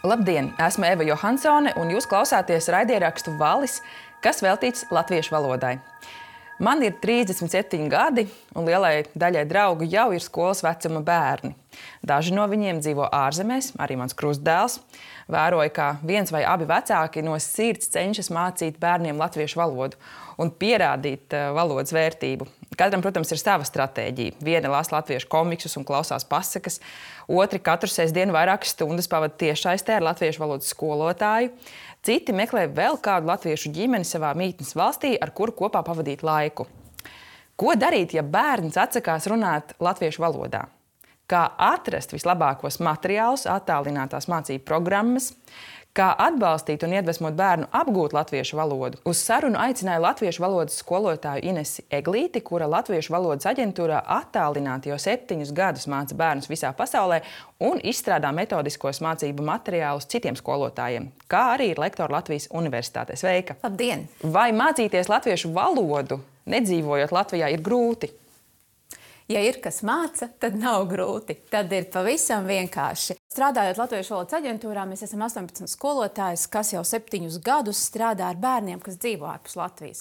Labdien! Esmu Eva Johansone, un jūs klausāties raidierakstu Valis, kas veltīts latviešu valodai. Man ir 37 gadi, un lielai daļai draugu jau ir skolas vecuma bērni. Daži no viņiem dzīvo ārzemēs, arī mans krustdēls. Vēroju, kā viens vai abi vecāki no sirds cenšas mācīt bērniem latviešu valodu un pierādīt valodas vērtību. Katram, protams, ir sava stratēģija. Viena lasa latviešu komiksus un klausās pasakas, otri katru sestdienu vairākas stundas pavada tiešsaistē ar latviešu valodas skolotāju. Citi meklē vēl kādu latviešu ģimeni savā mītnes valstī, ar kuru kopā pavadīt laiku. Ko darīt, ja bērns atsakās runāt latviešu valodā? Kā atrast vislabākos materiālus, attālinātās mācību programmas, kā atbalstīt un iedvesmot bērnu apgūt latviešu valodu. Uz sarunu aicināja latviešu valodas skolotāju Inesi Eglīti, kura Latviešu valodas aģentūrā attālināti jau 7 gadus māca bērnus visā pasaulē un izstrādā metodiskos mācību materiālus citiem skolotājiem, kā arī ir lektora Latvijas Universitātē. Sveika! Labdien! Vai mācīties latviešu valodu, nedzīvojot Latvijā, ir grūti? Ja ir kas māca, tad nav grūti. Tad ir pavisam vienkārši. Strādājot Latviešu valodas aģentūrā, mēs esam 18 skolotājs, kas jau 7 gadus strādā ar bērniem, kas dzīvo ārpus Latvijas.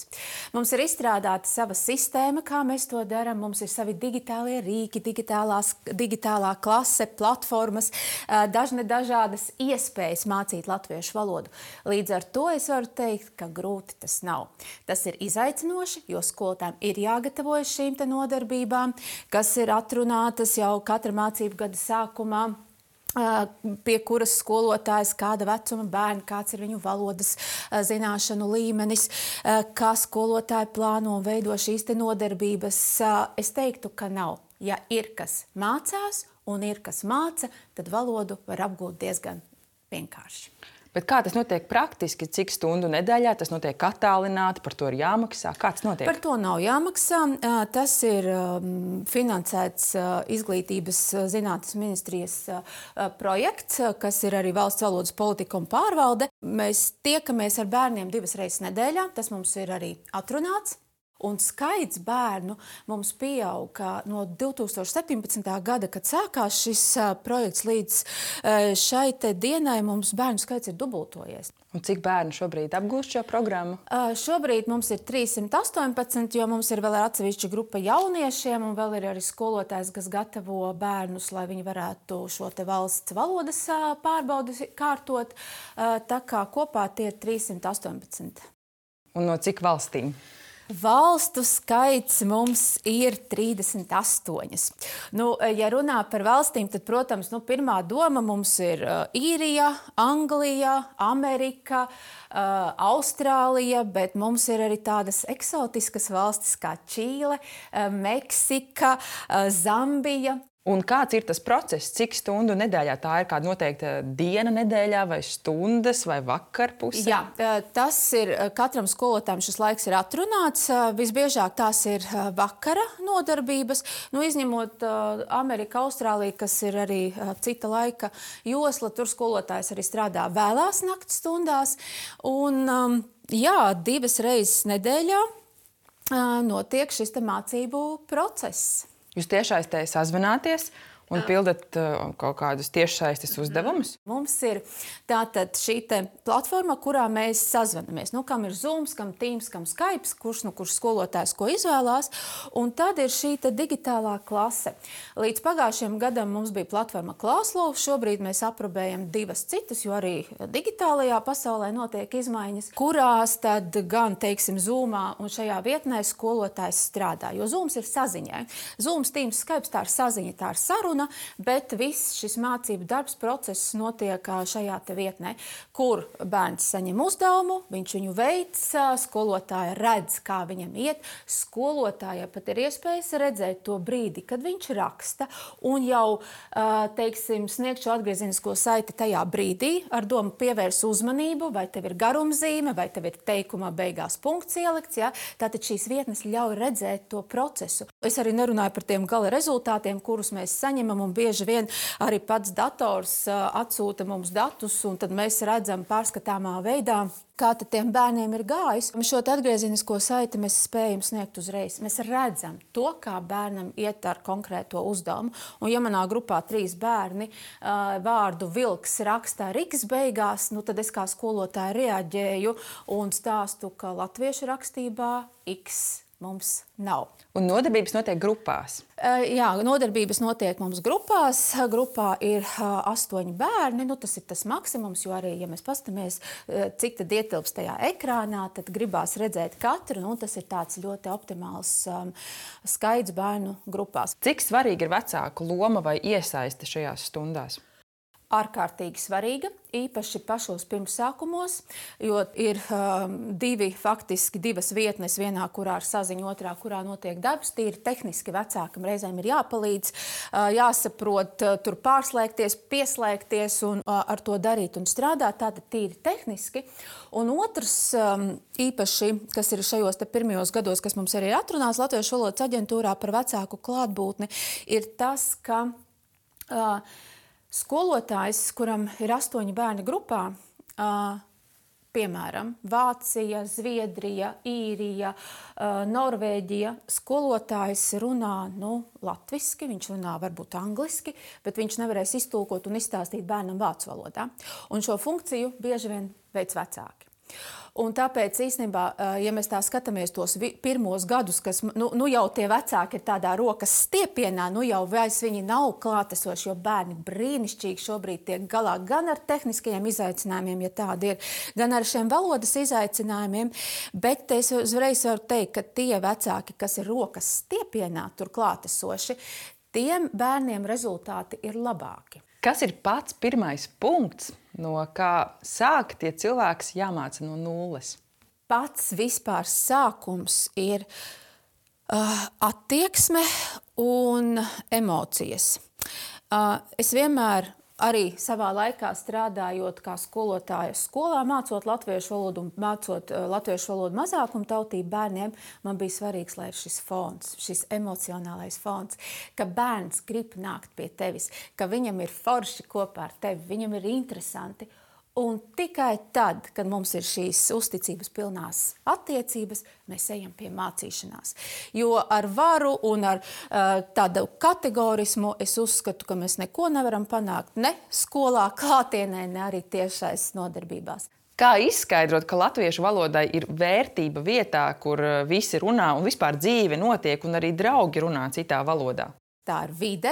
Mums ir izstrādāta sava sistēma, kā mēs to darām. Mums ir savi digitālie rīki, digitālā klase, platformas, dažādas iespējas mācīt latviešu valodu. Līdz ar to es varu teikt, ka grūti tas nav. Tas ir izaicinoši, jo skolotājiem ir jāgatavojas šīm te nodarbībām, kas ir atrunātas jau katra mācību gada sākumā, pie kuras skolotājs, kāda vecuma bērni, kāds ir viņu valodas zināšanu līmenis, kā skolotāji plāno un veido šīs te nodarbības. Es teiktu, ka nav. Ja ir kas mācās un ir kas māca, tad valodu var apgūt diezgan vienkārši. Bet kā tas notiek praktiski? Cik stundu nedēļā tas notiek attālināti? Par to ir jāmaksā? Kā tas notiek? Par to nav jāmaksā. Tas ir finansēts Izglītības zinātnes ministrijas projekts, kas ir arī valsts valodas politika un pārvalde. Mēs tiekamies ar bērniem 2 reizes nedēļā. Tas mums ir arī atrunāts. Un skaits bērnu mums pieauga no 2017. gada, kad sākās šis projekts, līdz šai te dienai mums bērnu skaits ir dubultojies. Un cik bērnu šobrīd apgūst šo programmu? Šobrīd mums ir 318, jo mums ir vēl atsevišķa grupa jauniešiem un vēl ir arī skolotājs, kas gatavo bērnus, lai viņi varētu šo te valsts valodas pārbaudi kārtot. Tā kā kopā tie ir 318. Un no cik valstīm? Valstu skaits mums ir 38. Ja runā par valstīm, tad, protams, pirmā doma mums ir Īrija, Anglija, Amerika, Austrālija, bet mums ir arī tādas eksotiskas valstis kā Čīle, Meksika, Zambija. Un kāds ir tas process? Cik stundu nedēļā? Tā ir kāda noteikta diena nedēļā vai stundas vai vakarpuse? Jā, tas ir katram skolotājam šis laiks ir atrunāts. Visbiežāk tās ir vakara nodarbības, izņemot Ameriku, Austrāliju, kas ir arī cita laika josla. Tur skolotājs arī strādā vēlās nakts stundās. Un 2 reizes nedēļā notiek šis te mācību process. Jūs tiešsaistē sazvanāties un pildat kaut kādus tiešsaistes uzdevumus? Mums ir tātad šī te platforma, kurā mēs sazvanamies. Kam ir Zooms, kam Teams, kam Skype, kurš skolotājs ko izvēlās. Un tad ir šī te digitālā klase. Līdz pagājušajam gadam mums bija platforma Klauslo. Šobrīd mēs aprobējam 2 citas, jo arī digitālajā pasaulē notiek izmaiņas, kurās tad gan, teiksim, Zoomā un šajā vietnē skolotājs strādā. Jo Zooms ir saziņai. Zooms, Teams, Skype tā ir saziņa, tā ir saruna. Bet viss šis mācību darbs, process notiek šajā te vietnē, kur bērns saņem uzdevumu, viņš viņu veic, skolotāja redz, kā viņam iet. Skolotāja pat ir iespējas redzēt to brīdi, kad viņš raksta un jau, teiksim, sniegt šo atgriezenisko saiti tajā brīdī, ar domu pievērs uzmanību, vai tev ir garumzīme, vai tev ir teikumā beigās punkts ielikts. Ja? Tātad šīs vietnes ļauj redzēt to procesu. Es arī nerunāju par tiem gala rezultātiem, kurus mēs saņemam, paņemam, un bieži vien arī pats dators atsūta mums datus, un tad mēs redzam pārskatāmā veidā, kā tad tiem bērniem ir gājis. Šo atgriezenisko saiti mēs spējam sniegt uzreiz. Mēs redzam to, kā bērnam iet ar konkrēto uzdevumu. Un ja manā grupā 3 bērni vārdu vilks rakstā Riks beigās, tad es kā skolotāja reaģēju un stāstu, ka latviešu rakstībā X mums nav. Un nodarbības notiek grupās? Jā, nodarbības notiek mums grupās. Grupā ir 8 bērni. Tas ir tas maksimums, jo arī, ja mēs paskatāmies, cik tad ietilps tajā ekrānā, tad gribās redzēt katru. Tas ir tāds ļoti optimāls skaits bērnu grupās. Cik svarīga ir vecāku loma vai iesaiste šajās stundās? Ārkārtīgi svarīga, īpaši pašos pirmsākumos, jo ir divas vietnes, vienā, kurā ir saziņa, otrā, kurā notiek darbs. Tīri tehniski vecākam reizēm ir jāpalīdz, jāsaprot, tur pārslēgties, pieslēgties un ar to darīt un strādāt, tātad tīri tehniski. Un otrs, īpaši, kas ir šajos pirmajos gados, kas mums arī atrunās Latviešu valodas aģentūrā par vecāku klātbūtni, ir tas, ka skolotājs, kuram ir 8 bērni grupā, piemēram, Vācija, Zviedrija, Īrija, Norvēģija, skolotājs runā latviski, viņš runā varbūt angliski, bet viņš nevarēs iztulkot un izstāstīt bērnam vācu valodā. Un šo funkciju bieži vien veic vecāki. Un tāpēc īstenībā, ja mēs tā skatāmies tos pirmos gadus, kas jau tie vecāki ir tādā rokas stiepienā, jau vairs viņi nav klātesoši, jo bērni brīnišķīgi šobrīd tiek galā gan ar tehniskajiem izaicinājumiem, ja tādi ir, gan ar šiem valodas izaicinājumiem, bet es uzreiz varu teikt, ka tie vecāki, kas ir rokas stiepienā tur klātesoši, tiem bērniem rezultāti ir labāki. Kas ir pats pirmais punkts, no kā sākt, ja cilvēks jāmāca no nulles? Pats vispār sākums ir attieksme un emocijas. Es vienmēr arī savā laikā strādājot kā skolotāja skolā, mācot latviešu valodu un mācot latviešu valodu mazākumtautību bērniem, man bija svarīgs, lai ir šis fons, šis emocionālais fons, ka bērns grib nākt pie tevis, ka viņam ir forši kopā ar tevi, viņam ir interesanti. Un tikai tad, kad mums ir šīs uzticības pilnās attiecības, mēs ejam pie mācīšanās. Jo ar varu un ar tādu kategorismu es uzskatu, ka mēs neko nevaram panākt ne skolā, klātienē, ne arī tiešais nodarbībās. Kā izskaidrot, ka latviešu valodai ir vērtība vietā, kur visi runā un vispār dzīve notiek un arī draugi runā citā valodā? Tā ir vide,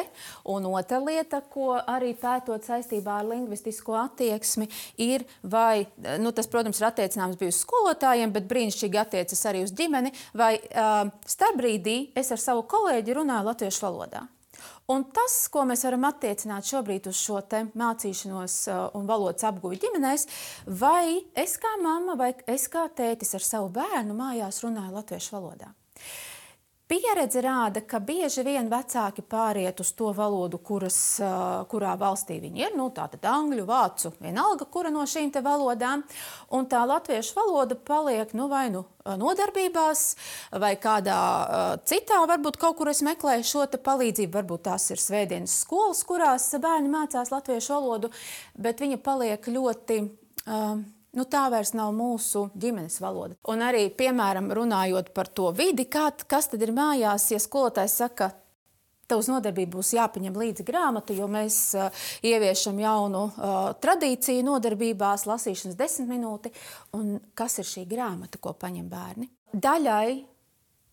un otra lieta, ko arī pētot saistībā ar lingvistisko attieksmi, ir vai, tas, protams, ir attiecināms bija uz skolotājiem, bet brīnišķīgi attiecas arī uz ģimeni, vai starpbrīdī es ar savu kolēģi runāju latviešu valodā. Un tas, ko mēs varam attiecināt šobrīd uz šo te mācīšanos un valodas apguvi ģimenēs, vai es kā mamma vai es kā tētis ar savu bērnu mājās runāju latviešu valodā. Pieredze rāda, ka bieži vien vecāki pāriet uz to valodu, kurā valstī viņi ir, tātad angļu, vācu, vienalga, kura no šīm te valodām, un tā latviešu valoda paliek vai nodarbībās, vai kādā citā, varbūt kaut kur es meklēju šo te palīdzību, varbūt tās ir svētdienas skolas, kurās bērni mācās latviešu valodu, bet viņa paliek ļoti... tā vairs nav mūsu ģimenes valoda. Un arī, piemēram, runājot par to vidi, kas tad ir mājās, ja skolotājs saka, tev uz nodarbību būs jāpaņem līdzi grāmatu, jo mēs ieviešam jaunu tradīciju nodarbībās, lasīšanas 10 minūti. Un kas ir šī grāmata, ko paņem bērni? Daļai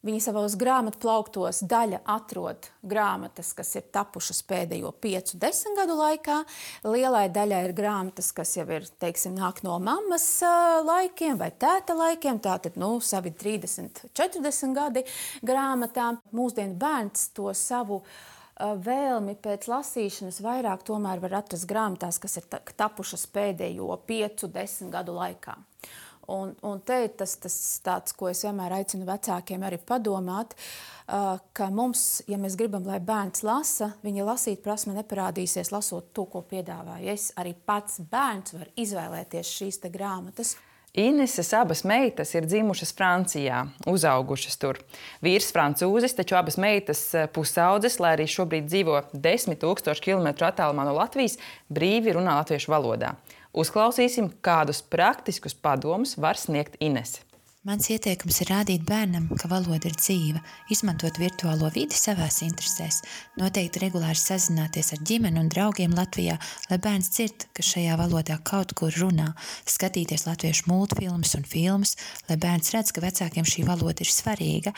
viņi savos grāmatu plauktos daļa atrod grāmatas, kas ir tapušas pēdējo 5-10 gadu laikā. Lielai daļai ir grāmatas, kas jau ir, nāk no mammas laikiem vai tēta laikiem, tātad, savi 30-40 gadi grāmatām. Mūsdienu bērns to savu vēlmi pēc lasīšanas vairāk tomēr var atrast grāmatās, kas ir tapušas pēdējo 5-10 gadu laikā. Un te ir tas tāds, ko es vienmēr aicinu vecākiem arī padomāt, ka mums, ja mēs gribam, lai bērns lasa, viņa lasīt prasme neparādīsies lasot to, ko piedāvāju. Arī pats bērns var izvēlēties šīs te grāmatas. Ineses abas meitas ir dzimušas Francijā, uzaugušas tur. Vīrs francūzis, taču abas meitas pusaudzes, lai arī šobrīd dzīvo 10 000 kilometru attālumā no Latvijas, brīvi runā latviešu valodā. Uzklausīsim, kādus praktiskus padomus var sniegt Inese. Mans ieteikums ir rādīt bērnam, ka valoda ir dzīva, izmantot virtuālo vidi savās interesēs, noteikti regulāri sazināties ar ģimeni un draugiem Latvijā, lai bērns dzird, ka šajā valodā kaut kur runā, skatīties latviešu multfilmas un filmas, lai bērns redz, ka vecākiem šī valoda ir svarīga.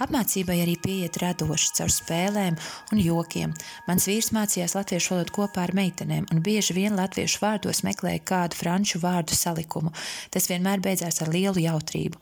Apmācībai arī pieiet radoši caur spēlēm un jokiem. Mans vīrs mācījās latviešu valodu kopā ar meitenēm un bieži vien latviešu vārdos meklēja kādu franču vārdu salikumu. Tas vienmēr beidzās ar lielu jautrību.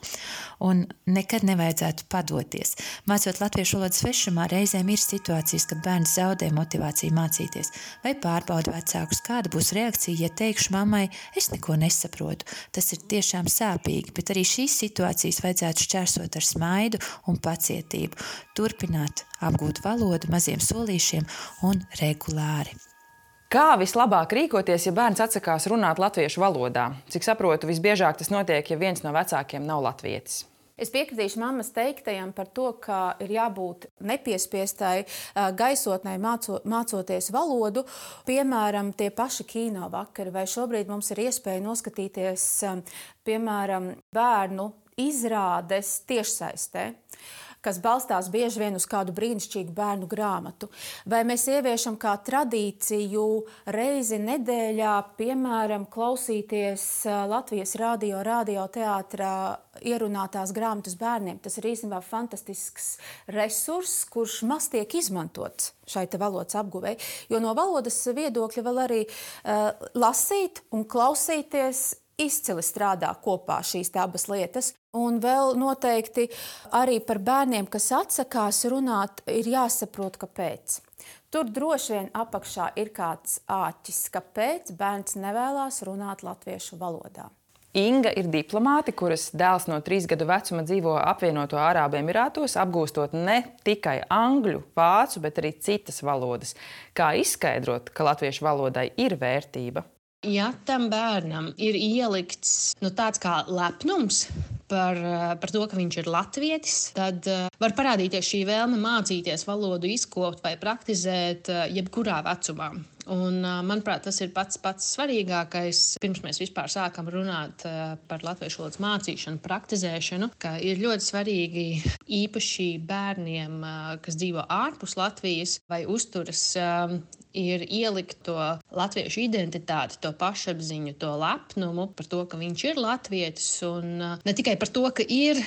Un nekad nevajadzētu padoties. Mācot latviešu valodu svešumā, reizēm ir situācijas, kad bērns zaudē motivāciju mācīties vai pārbauda vecākus, kāda būs reakcija, ja teikšu mammai, es neko nesaprotu. Tas ir tiešām sāpīgi, bet arī šīs situācijas vajadzētu šķērsot ar smaidu un pacietību. Turpināt apgūt valodu maziem solīšiem un regulāri. Kā vislabāk rīkoties, ja bērns atsakās runāt latviešu valodā? Cik saprotu, visbiežāk tas notiek, ja viens no vecākiem nav latvietis. Es piekritīšu mammas teiktajam par to, ka ir jābūt nepiespiestai gaisotnei mācoties valodu. Piemēram, tie paši kino vakari, vai šobrīd mums ir iespēja noskatīties, piemēram, bērnu izrādes tiešsaistē, kas balstās bieži vien uz kādu brīnišķīgu bērnu grāmatu. Vai mēs ieviešam kā tradīciju reizi nedēļā, piemēram, klausīties Latvijas radioteātrā ierunātās grāmatas bērniem. Tas ir īstenībā fantastisks resurss, kurš maz tiek izmantots šai te valodas apguvei. Jo no valodas viedokļa vēl arī lasīt un klausīties izcili strādā kopā šīs abas lietas. Un vēl noteikti arī par bērniem, kas atsakās runāt, ir jāsaprot, kāpēc. Tur droši vien apakšā ir kāds āķis, kāpēc bērns nevēlās runāt latviešu valodā. Inga ir diplomāte, kuras dēls no 3 gadu vecuma dzīvo apvienoto Arābu Emirātos, apgūstot ne tikai angļu, vācu, bet arī citas valodas. Kā izskaidrot, ka latviešu valodai ir vērtība? Ja tam bērnam ir ielikts tāds kā lepnums par to, ka viņš ir latvietis, tad var parādīties šī vēlme mācīties valodu izkopt vai praktizēt jebkurā vecumā. Un, manuprāt, tas ir pats svarīgākais, pirms mēs vispār sākam runāt par latviešu valodas mācīšanu, praktizēšanu, ka ir ļoti svarīgi īpaši bērniem, kas dzīvo ārpus Latvijas vai uzturas, ir ielikt to latviešu identitāti, to pašapziņu, to lepnumu par to, ka viņš ir latvietis. Un ne tikai par to, ka ir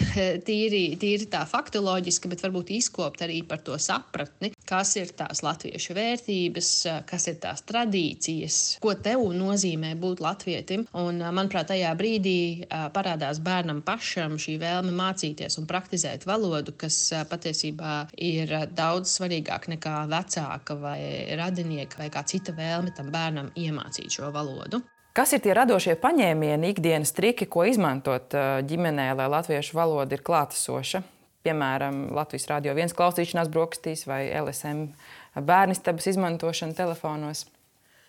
tīri tā faktoloģiski, bet varbūt izkopt arī par to sapratni, kas ir tās latviešu vērtības, kas ir tās tradīcijas, ko tev nozīmē būt latvietim. Un, manuprāt, tajā brīdī parādās bērnam pašam šī vēlme mācīties un praktizēt valodu, kas patiesībā ir daudz svarīgāk nekā vecāka vai radinieka vai kā cita vēlme tam bērnam iemācīt šo valodu. Kas ir tie radošie paņēmieni, ikdienas triki, ko izmantot ģimenē, lai latviešu valoda ir klātesoša? Piemēram, Latvijas Radio 1 klausīšanās brokastīs vai LSM bērnistabas izmantošana telefonos.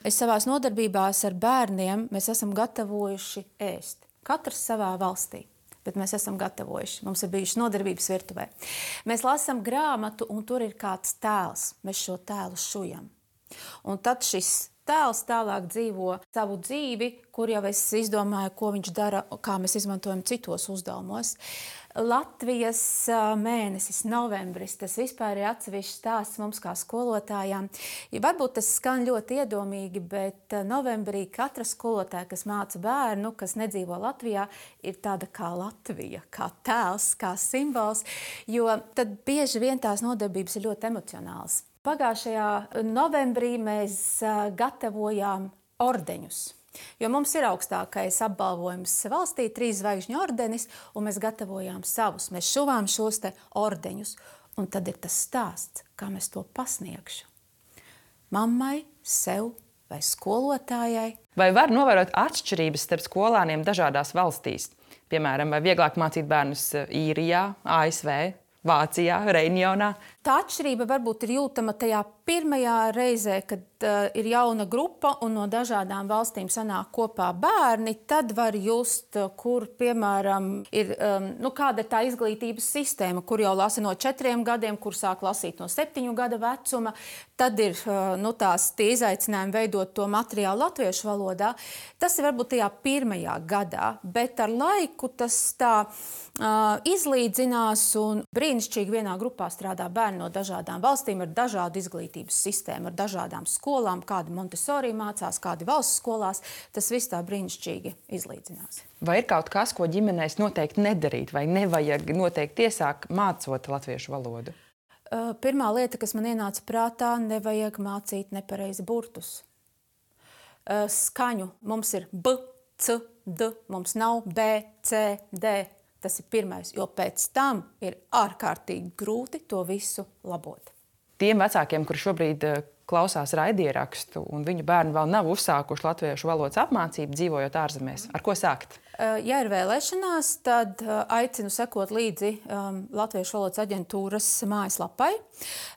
Es savās nodarbībās ar bērniem mēs esam gatavojuši ēst. Katrs savā valstī. Bet mēs esam gatavojuši. Mums ir bijušas nodarbības virtuvē. Mēs lasām grāmatu, un tur ir kāds tēls. Mēs šo tēlu šujam. Un tad šis tēls tālāk dzīvo savu dzīvi, kur jau es izdomāju, ko viņš dara, kā mēs izmantojam citos uzdevumos. Latvijas mēnesis, novembris, tas vispār ir atsevišķs stāsts mums kā skolotājām. Ja varbūt tas skan ļoti iedomīgi, bet novembrī katra skolotāja, kas māca bērnu, kas nedzīvo Latvijā, ir tāda kā Latvija, kā tēls, kā simbols, jo tad bieži vien tās nodarbības ir ļoti emocionāls. Pagājušajā novembrī mēs gatavojām ordeņus, jo mums ir augstākais apbalvojums valstī, 3 zvaigžņu ordenis, un mēs gatavojām savus. Mēs šuvām šos te ordeņus, un tad ir tas stāsts, kā mēs to pasniegšu. Mammai, sev vai skolotājai. Vai var novērot atšķirības starp skolāniem dažādās valstīs? Piemēram, vai vieglāk mācīt bērnus Īrijā, ASV, Vācijā, Reņģionā? Tā atšķirība varbūt ir jūtama tajā pirmajā reizē, kad ir jauna grupa un no dažādām valstīm sanāk kopā bērni, tad var just, kur, piemēram, ir kāda ir tā izglītības sistēma, kur jau lasa no 4 gadiem, kur sāk lasīt no 7 gada vecuma. Tad ir tie izaicinājumi veidot to materiālu latviešu valodā. Tas ir varbūt tajā pirmajā gadā, bet ar laiku tas tā izlīdzinās un brīnišķīgi vienā grupā strādā bērni no dažādām valstīm ar dažādu izglītības sistēmu, ar dažādām skolām, kādi Montessori mācās, kādi valsts skolās. Tas viss tā brīnišķīgi izlīdzinās. Vai ir kaut kas, ko ģimenēs noteikti nedarīt vai nevajag noteikti iesākt mācot latviešu valodu? Pirmā lieta, kas man ienāca prātā, nevajag mācīt nepareizi burtus. Skaņu mums ir B, C, D, mums nav B, C, D. Tas ir pirmais, jo pēc tam ir ārkārtīgi grūti to visu labot. Tiem vecākiem, kuri šobrīd klausās raidierakstu un viņu bērni vēl nav uzsākuši latviešu valodas apmācību, dzīvojot ārzemēs, ar ko sākt? Ja ir vēlēšanās, tad aicinu sekot līdzi Latviešu valodas aģentūras mājaslapai.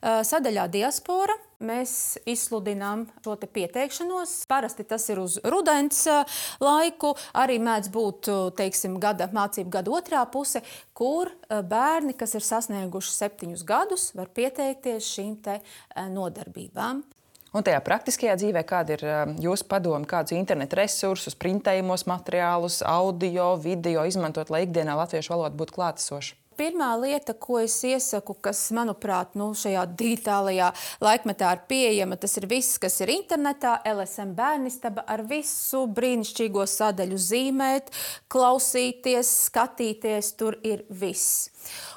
Sadaļā Diaspora mēs izsludinām šo te pieteikšanos. Parasti tas ir uz rudens laiku, arī mēdz būt, mācību gada otrā puse, kur bērni, kas ir sasnieguši 7 gadus, var pieteikties šīm te nodarbībām. Un tajā praktiskajā dzīvē, kāda ir jūsu padoma, kādus internetu resursus, printējumos materiālus, audio, video izmantot, lai ikdienā latviešu valoda būtu klātesoša? Pirmā lieta, ko es iesaku, kas, manuprāt, šajā digitālajā laikmetā ir pieejama, tas ir viss, kas ir internetā, LSM bērnistaba, ar visu brīnišķīgo sadaļu zīmēt, klausīties, skatīties, tur ir viss.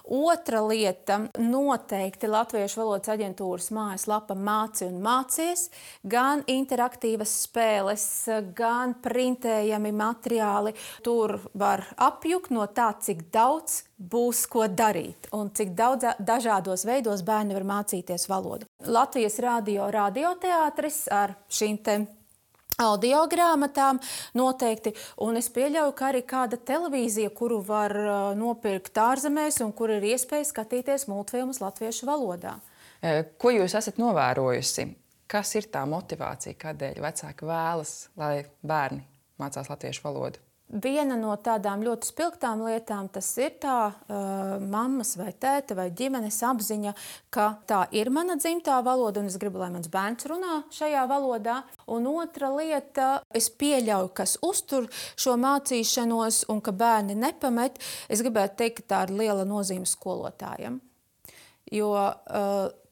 Otra lieta, noteikti Latviešu valodas aģentūras mājaslapa Māci un mācies, gan interaktīvas spēles, gan printējami materiāli. Tur var apjukt no tā, cik daudz būs ko darīt un cik daudz dažādos veidos bērni var mācīties valodu. Latvijas radioteātris ar šīm te audio grāmatām noteikti, un es pieļauju, ka arī kāda televīzija, kuru var nopirkt ārzemēs un kur ir iespēja skatīties multfilmus latviešu valodā. Ko jūs esat novērojusi? Kas ir tā motivācija, kādēļ vecāki vēlas, lai bērni mācās latviešu valodu? Viena no tādām ļoti spilgtām lietām tas ir tā mammas vai tēta vai ģimenes apziņa, ka tā ir mana dzimtā valoda un es gribu, lai mans bērns runā šajā valodā. Un otra lieta, es pieļauju, kas uztur šo mācīšanos un ka bērni nepamet, es gribētu teikt, ka tā ir liela nozīme skolotājiem. Jo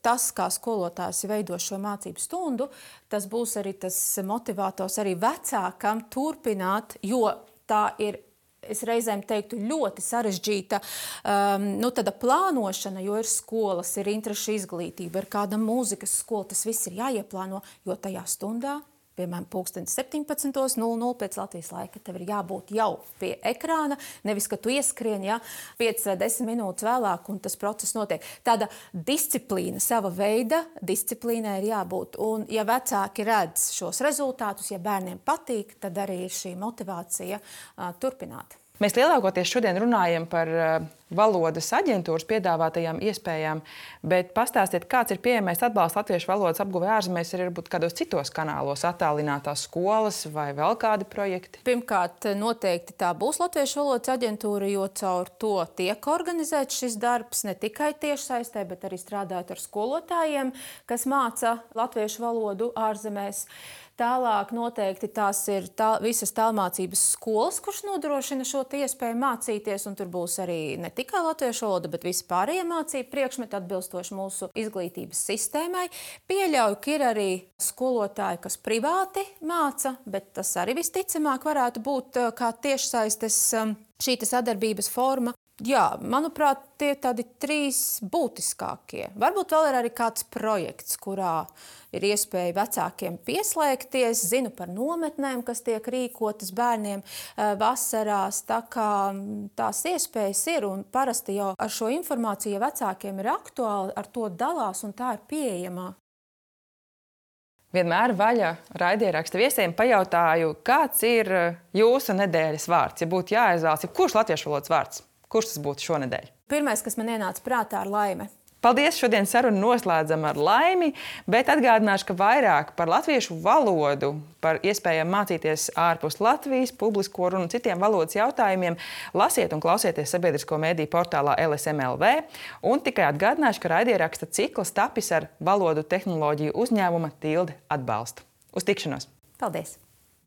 tas, kā skolotājs veido šo mācību stundu, tas būs arī tas motivators arī vecākam turpināt, jo tā ir, es reizēm teiktu, ļoti sarežģīta tāda plānošana, jo ir skolas, ir interešu izglītība, ir kāda mūzikas skola, tas viss ir jāieplāno, jo tajā stundā, piemēram, 17:00 pēc Latvijas laika, tev ir jābūt jau pie ekrāna, nevis, ka tu ieskrien 5 vai 10 minūtes vēlāk un tas process notiek. Tāda disciplīna, sava veida disciplīnai ir jābūt. Un ja vecāki redz šos rezultātus, ja bērniem patīk, tad arī ir šī motivācija turpināt. Mēs lielākoties šodien runājam par valodas aģentūras piedāvātajām iespējām, bet pastāstiet, kāds ir pieejamais atbalsts latviešu valodas apguvē ārzemēs, arī varbūt kādos citos kanālos, attālinātās skolas vai vēl kādi projekti? Pirmkārt, noteikti tā būs Latviešu valodas aģentūra, jo caur to tiek organizēts šis darbs ne tikai tiešsaistē, bet arī strādājot ar skolotājiem, kas māca latviešu valodu ārzemēs. Tālāk noteikti tās ir visas tālmācības skolas, kuras nodrošina šo iespēju mācīties, un tur būs arī ne tikai latviešu valoda, bet visi pārējie mācību priekšmeti atbilstoši mūsu izglītības sistēmai. Pieļauju, ka ir arī skolotāji, kas privāti māca, bet tas arī visticamāk varētu būt kā tiešsaistes šī sadarbības forma. Jā, manuprāt, tie tādi 3 būtiskākie. Varbūt vēl ir arī kāds projekts, kurā ir iespēja vecākiem pieslēgties. Zinu par nometnēm, kas tiek rīkotas bērniem vasarās. Tā kā tās iespējas ir un parasti jau ar šo informāciju, ja vecākiem ir aktuāli, ar to dalās un tā ir pieejama. Vienmēr vaļa raidieraksta viesiem pajautāju, kāds ir jūsu nedēļas vārds? Ja būtu jāizvēlas, kurš latviešu valodas vārds? Kurš tas būtu šonedēļ? Pirmais, kas man ienāca prātā, ir laime. Paldies! Šodien sarunu noslēdzam ar Laimi, bet atgādināšu, ka vairāk par latviešu valodu, par iespējām mācīties ārpus Latvijas, publisko runu un citiem valodas jautājumiem lasiet un klausieties sabiedrisko mediju portālā LSM.LV. Un tikai atgādināšu, ka raidieraksta cikls tapis ar valodu tehnoloģiju uzņēmuma Tilde atbalstu. Uz tikšanos! Paldies!